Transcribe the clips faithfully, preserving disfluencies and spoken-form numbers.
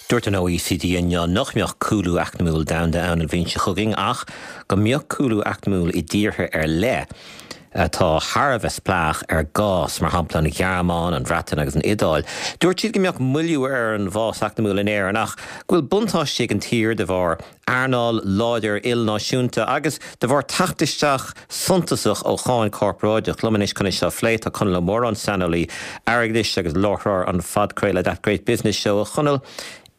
Dúirt an OECD inniu nach mbeadh cúlú eacnamaíoch domhanda ann an bhliain seo chugainn ach go mbeadh cúlú eacnamaíoch i dtíortha ar leith atá thar a bheith spleách ar gás mar shampla an Ghearmáin, an Bhreatain agus an Iodáil. Dúirt siad go mbeadh moilliú ar an bhfás eacnamaíoch in Éirinn ach go bhfuil buntáiste ag an tír de bharr earnáil láidir ilnáisiúnta agus de bharr teacht isteach suntasach ó cháin corparáideach. Liom anois chun seo a phlé tá Conall Ó Móráin saineolaí airgeadais agus láithreoir an phodchraoladh That Great Business Show a Chonaill.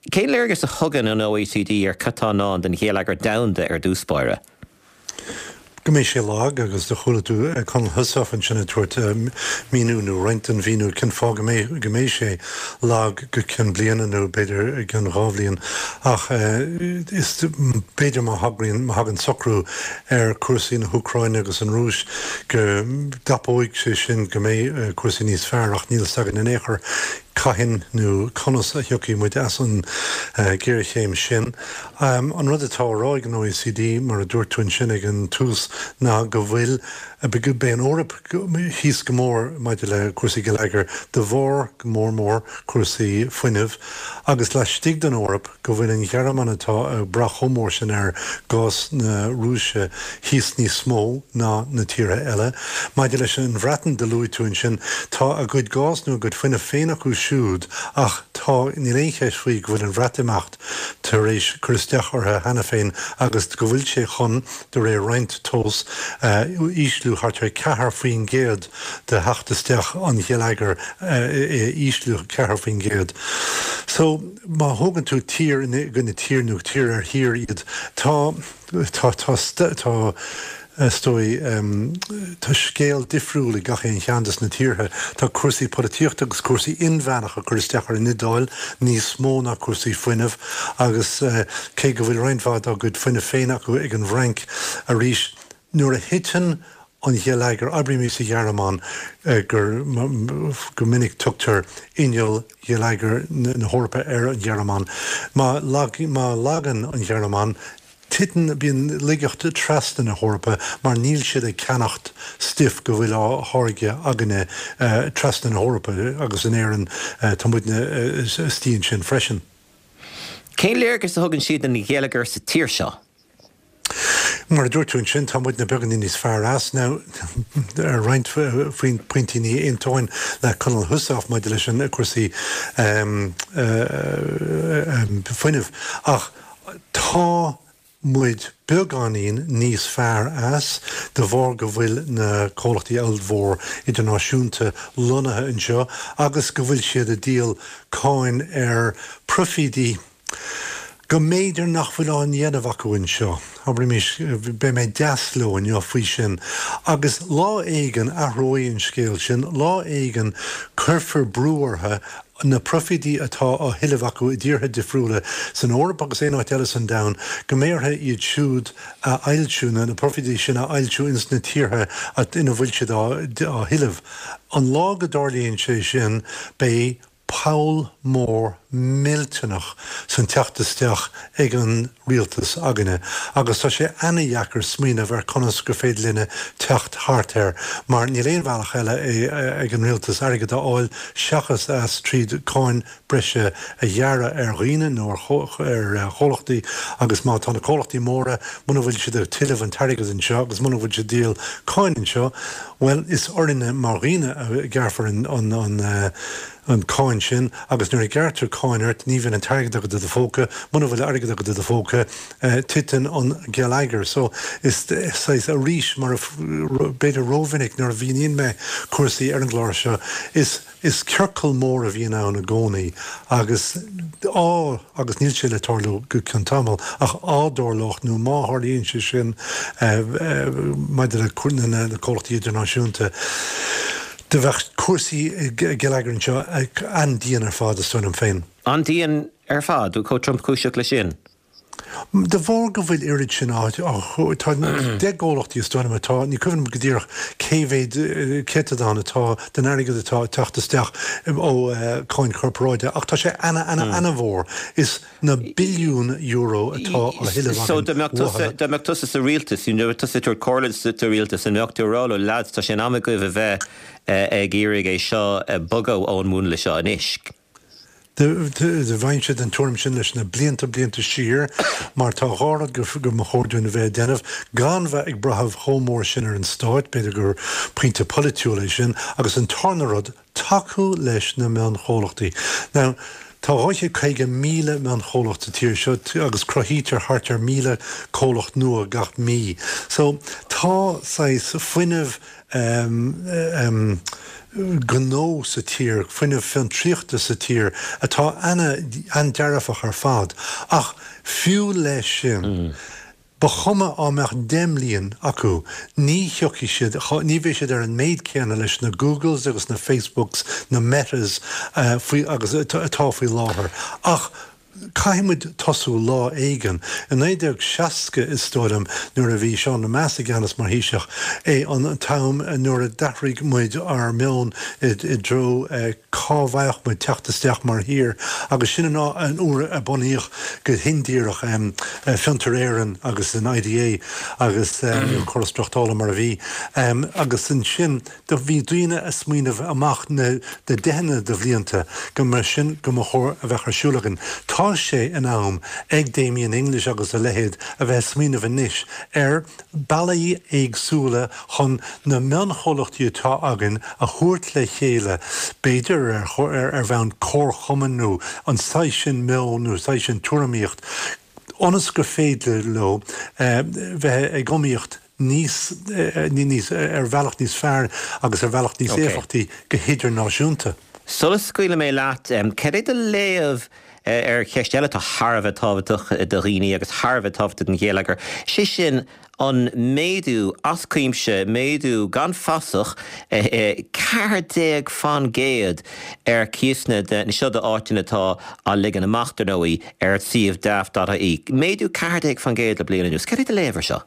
Cén léargas a thugann an OECD ar cad atá i ndán don gheilleagar domhanda ar dtús báire? Go mbeidh sé lag agus do chuala tú Conall Heussaff ansin ag tabhairt míniú nó roinnt den mhíniú cén fáth go mbeidh go mbeidh sé lag go ceann bliana nó b'fhéidir ceann dhá bhliain ach is b'fhéidir má thagraíonn má thagann socrú ar cúrsaí na hÚcráine agus an Rúis go dtapóidh sé sin go mbeidh cúrsaí níos fearr ach níl a fhios againn in aon chor cathain nó conas a thiocfaidh muid as an ghéarchéim sin. An rud atá á rá ag an OECD mar a dúirt tú ansin ag an tús ná go bhfuil beidh an Eoraip thíos go mór maidir le cúrsaí geilleagair de bharr go mór mór cúrsaí fuinnimh agus laistigh den Eoraip go bhfuil an Ghearmáin atá ag brath chomh mór sin ar gás na Rúise thíos níos mó ná na tíortha eile. Maidir leis an Bhreatain do luaigh tú ansin tá a gcuid gás nó a gcuid fuinnimh féin acu siúd ach tá níl aon cheist faoi go bhfuil an Bhreatimeacht tar éis cur isteach orthu cheana féin agus go bhfuil sé chun de réir roinnt tomhas ísliú thart ar ceathair faoin gcéad de theacht isteach an gheilleagair ísliú ceathair faoin gcéad. So má thógann tú tír gona tír nó tír ar thír iad tá tá tá tá is dóigh tá scéal difriúil ag gach aon cheann des na tíortha. Tá cúrsaí polaitíochta agus cúrsaí inmheánacha cur isteach ar an Iodáil níos mó ná cúrsaí fuinnimh agus cé go bhfuil roinnt mhaith dá gcuid fuinnimh féin acu ag an bhFrainc arís nuair a thiteann an geilleagar abraimís sa Ghearmáin gur go minic tugtar inneall gheilleagar na hEorpa ar an Ghearmáin. Má má lagann an Ghearmáin titeann bíonn laigeacht trasna na hEorpa mar níl siad ag ceannacht stuif go bhfuil á tháirgeadh againne trasna na hEorpa agus in Éirinn tá muidne istigh ansin freisin. Cén léargas a thugann siad an gheilleagar sa tír seo? Mar a dúirt tú ansin tá muidne beagáinín níos fearr as now ar roinnt faoin pointí ní aontóinn le Conall Heussaff maidir leis an cúrsaí fuinnimh ach tá muid beagáinín níos fearr as de bharr go bhfuil na comhlachtaí ollmhór idirnáisiúnta lonnaithe anseo agus go bhfuil siad ag díol cáin ar profídí go mb'fhéidir nach bhfuil á ndéanamh acu anseo. Abraimís beidh mé deas leo inniu faoi sin. Agus lá éigin athróidh an scéal sin, lá éigin cuirfear brú orthu na profídí atá á thuilleamh acu i dtíortha difriúla san Eoraip agus aon áit eile san domhan, go mbeidh orthu iad siúd a fhoilsiú, na profídí sin a fhoilsiú ins na tíortha ina bhfuil siad á thuilleamh. An lá go dtarlaíonn sé sin, beidh poll mór millteanach san teacht isteach ag an rialtas againne agus tá sé ana-dheacair smaoineamh ar conas gur féidir linne teacht thart air mar níl aon bhealach eile ag an rialtas airgead a fháil seachas as tríd cáin breise a ghearradh ar dhaoine nó ar chomhlachtaí agus má tá na comhlachtaí móra muna bhfuil siad ag tuilleamh an t-airgead anseo agus muna bhfuil siad díol cáin anseo well is orainne mar dhaoine a ghearrfar an an an cáin sin agus nuair a ghearrtar cáin ort ní bhíonn an t-airgead agat i do phóca, muna bhfuil airgead agat i do phóca titeann an geilleagar. So is saghas arís mar b'fhéidir rómhinic nuair a mhíníonn mé cúrsaí ar an gclár seo is is ciorcal mór a bhíonn ann i gcónaí agus á agus níl sé le tarlú go ceann tamall ach á dtarlódh nó má tharlaíonn sé sin maidir le na comhlachtaí idirnáisiúnta do bheadh cúrsaí geilleagair anseo an-dian ar fad is dóigh liom féin. An-dian ar fad, chomh tromchúiseach leis sin. De bharr go bhfuil oiread sin á tá deich gcomhlachtaí is dóigh liom atá, ní cuimhin liom go díreach cé mhéad céatadán atá den airgead atá ag teacht isteach ó cháin chorparáide ach tá sé ana ana ana-mhór. Is na billiúin euro atá á thuilleamh So dá mbeadh tusa dá mbeadh tusa sa rialtas, you know, tusa ag tabhairt comhairle sa rialtas, an mbeadh tú ag rá leo, lads, tá sé in am agaibh a bheith ag iarraidh é seo bogadh ón múnla seo anois? Do bheinnse den tuairim sin leis na blianta blianta siar mar tá dhá rud go go mba chóir dúinn a bheith ag déanamh gan bheith ag brath chomh mór sin ar an stát, b'fhéidir gur pointe polaitiúil é sin, agus an tarna rud tacú leis na mionchomhlachtaí. Now, Tá dhá chéad caoga míle mionchomhlacht sa tír seo agus cruthaítear thart ar míle comhlacht nua gach mí. So tá saghas fuinneamh um, um, gnó sa tír, fuinneamh fiontraíochta sa tír atá an-dearfach ar fad. Ach fiú leis sin, mm. Ba chuma á mbeadh deich mbliain acu, ní thiocfaidh siad, ní bheidh siad ar an méid céanna leis na Googles agus na Facebooks, na Metas faoi agus atá faoi láthair. Ach caithfidh muid tosú lá éigin. I naoi déag seasca is dóigh liom nuair a bhí Seán Lemass i gceannas mar Thaoiseach é an t-am nuair a d'athraigh muid ár meon i dtreo cá bhfaigheadh muid teacht isteach mar thír agus sin an uair a bunaíodh go hindíreach Fiontar Éireann agus an IDA agus an córas tráchtála mar a bhí agus ansin do bhí daoine ag smaoineamh amach na deicheanna de bhlianta go mba sin go mba chóir a bheith ar siúl againn. Tá sé in am ag Damien English agus a leithéid a bheith ag smaoineamh anois ar bealaí éagsúla chun na mionchomhlachtaí atá againn a thabhairt le chéile, b'fhéidir ar ar bhonn comharchumann nó an saghas sin meon nó saghas sin tuairimíocht, ionas gur féidir leo bheith ag iomaíocht níos níos ar bhealach níos fearr agus ar bhealach níos éifeachtaí go hidirnáisiúnta. Sula scaoilfidh mé leat, cad é do léamh ar cheist eile atá thar a bheith tábhachtach do dhaoine agus thar a bheith tábhachtach don gheilleagar, sé sin an méadú as cuimse, méadú gan fasach, ceathair déag faoin gcéad ar cíosanna de, seo d'áiteanna atá á ligean amach, dar ndóigh, ar suíomh Daft dot ie. Méadú ceathair déag faoin gcéad le bliain anuas. Cad é do léamh ar seo?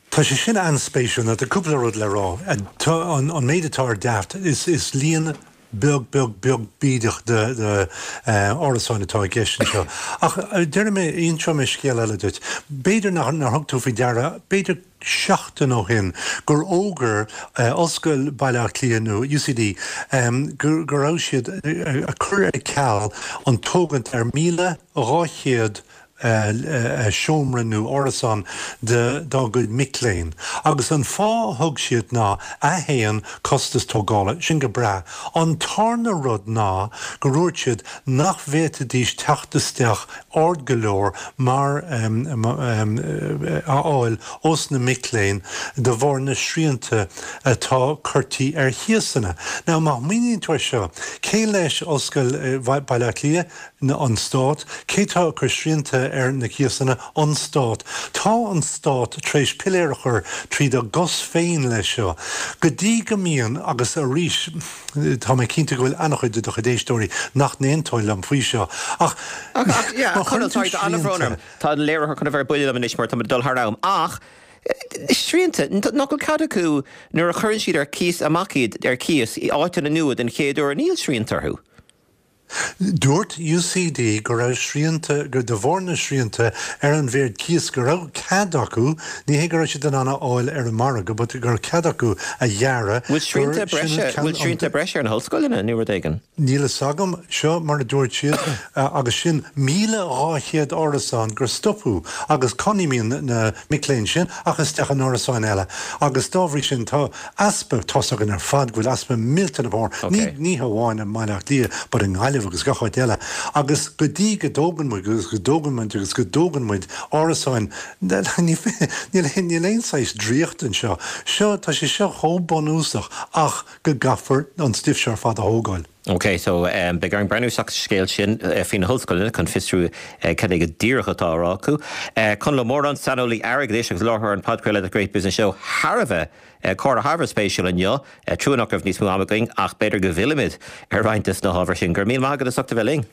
Tá sé sin an-spéisiúil. Tá cúpla rud le rá. Tá an méid atá ar Daft, is líon beag, beag, beag bídeach de árasáin atá i gceist anseo. Ach déarfaidh mé, inseoidh mé scéal eile duit. B'fhéidir nár thug tú faoi deara, b'fhéidir seachtain ó shin, gur fhógair Ollscoil Bhaile Átha Cliath nó UCD go raibh siad ag cur ar ceal an tógaint ar míle dhá chéad seomra nó árasán dá gcuid mic léinn. Agus an fáth a thug siad ná, a haon, costas tógála, sin go breá. An tarna rud ná go ndúirt siad nach bhféadfaidís teacht isteach ard go leor mar a fháil ós na mic léinn de bharr na srianta atá curtha ar chíosanna. Now má smaoiníonn tú ar seo, cé leis Ollscoil Bhaile Átha Cliath? An Stát. Cé tá ag cur srianta ar na cíosanna? An Stát. Tá an Stát tar éis piléar a chur tríd a gcos féin leis seo. Go dtí go mbíonn, agus arís, tá mé cinnte go bhfuil an-chuid de do chuid éisteoirí nach n-aontóidh liom faoi seo, ach má chuireann tú srianta. Tá an léiritheoir chun a bheith ar buile liom anois mar tá muid ag dul thar am, ach srianta, nach bhfuil cead acu nuair a chuireann siad ar cíos amach iad ar cíos i áiteanna nua den chéad uair, níl srianta orthu. Dúirt UCD go raibh srianta, gur de bharr na srianta ar an mhéid cíos go raibh cead acu, ní hé go raibh siad in ann a fháil ar an margadh, but go raibh cead acu a ghearradh, Bhfuil srianta breise, bhfuil srianta breise ar na hollscoileanna nó rud éigin? Níl a fhios agam, seo mar a dúirt siad, agus sin míle dhá chéad árasán gur stopadh agus cá n-imíonn na mic léinn sin ach isteach in árasáin eile agus dá bhrí sin tá easpa, tá's againn ar fad go bhfuil easpa millteanach mór, ní hamháin i mBaile Átha Cliath but i nGaillimh agus gach áit eile agus go dtí go dtógann muid agus go dtógann muid agus go dtógann muid árasáin, níl aon saghas draíocht anseo. Seo, tá sé seo chomh bunúsach ach go gcaithfear an stuif seo ar fad a thógáil. Ok, so beidh orainn breathnú isteach sa scéal sin faoi na hollscoileanna chun fiosrú cad é go díreach atá á rá acu. Conall Ó Móráin, saineolaí airgeadais agus láithreoir an podchraoladh The Great Business Show, thar a bheith, comhrá thar a bheith spéisiúil inniu. Trua nach raibh níos mó ama againn ach b'fhéidir go bhfillfimid ar roinnt de na hábhair sin. Go raibh míle maith agat as ucht a bheith linn.